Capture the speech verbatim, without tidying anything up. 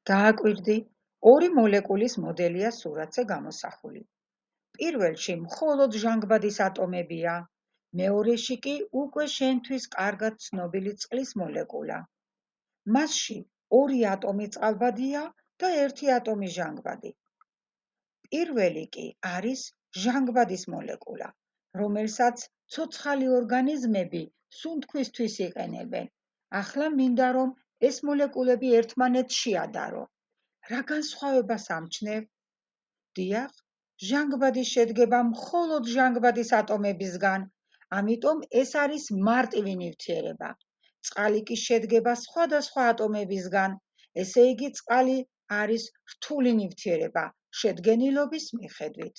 გააკვირდი, ორი მოლეკულის მოდელია სურათზე გამოსახული. პირველში მხოლოდ ჟანგბადის ატომებია, მეორეში კი უკვე შენთვის კარგად ცნობილი წყლის მოლეკულა. მასში ორი ატომი წყალბადია და ერთი ატომი ჟანგბადი. პირველი კი არის ჟანგბადის მოლეკულა, რომელსაც ცოცხალი ორგანიზმები სუნთქვისთვის იყენებენ. ახლა მინდა რომ ეს მოლეკულები ერთმანეთს შეადარო. რა განსხვავებას ამჩნევ? დიახ, ჟანგბადი შედგება მხოლოდ ჟანგბადის ატომებისგან, ამიტომ ეს არის მარტივი ნივთიერება. წყალი კი შედგება სხვადასხვა ატომებისგან, ესე იგი წყალი არის რთული ნივთიერება შედგენილობის მიხედვით.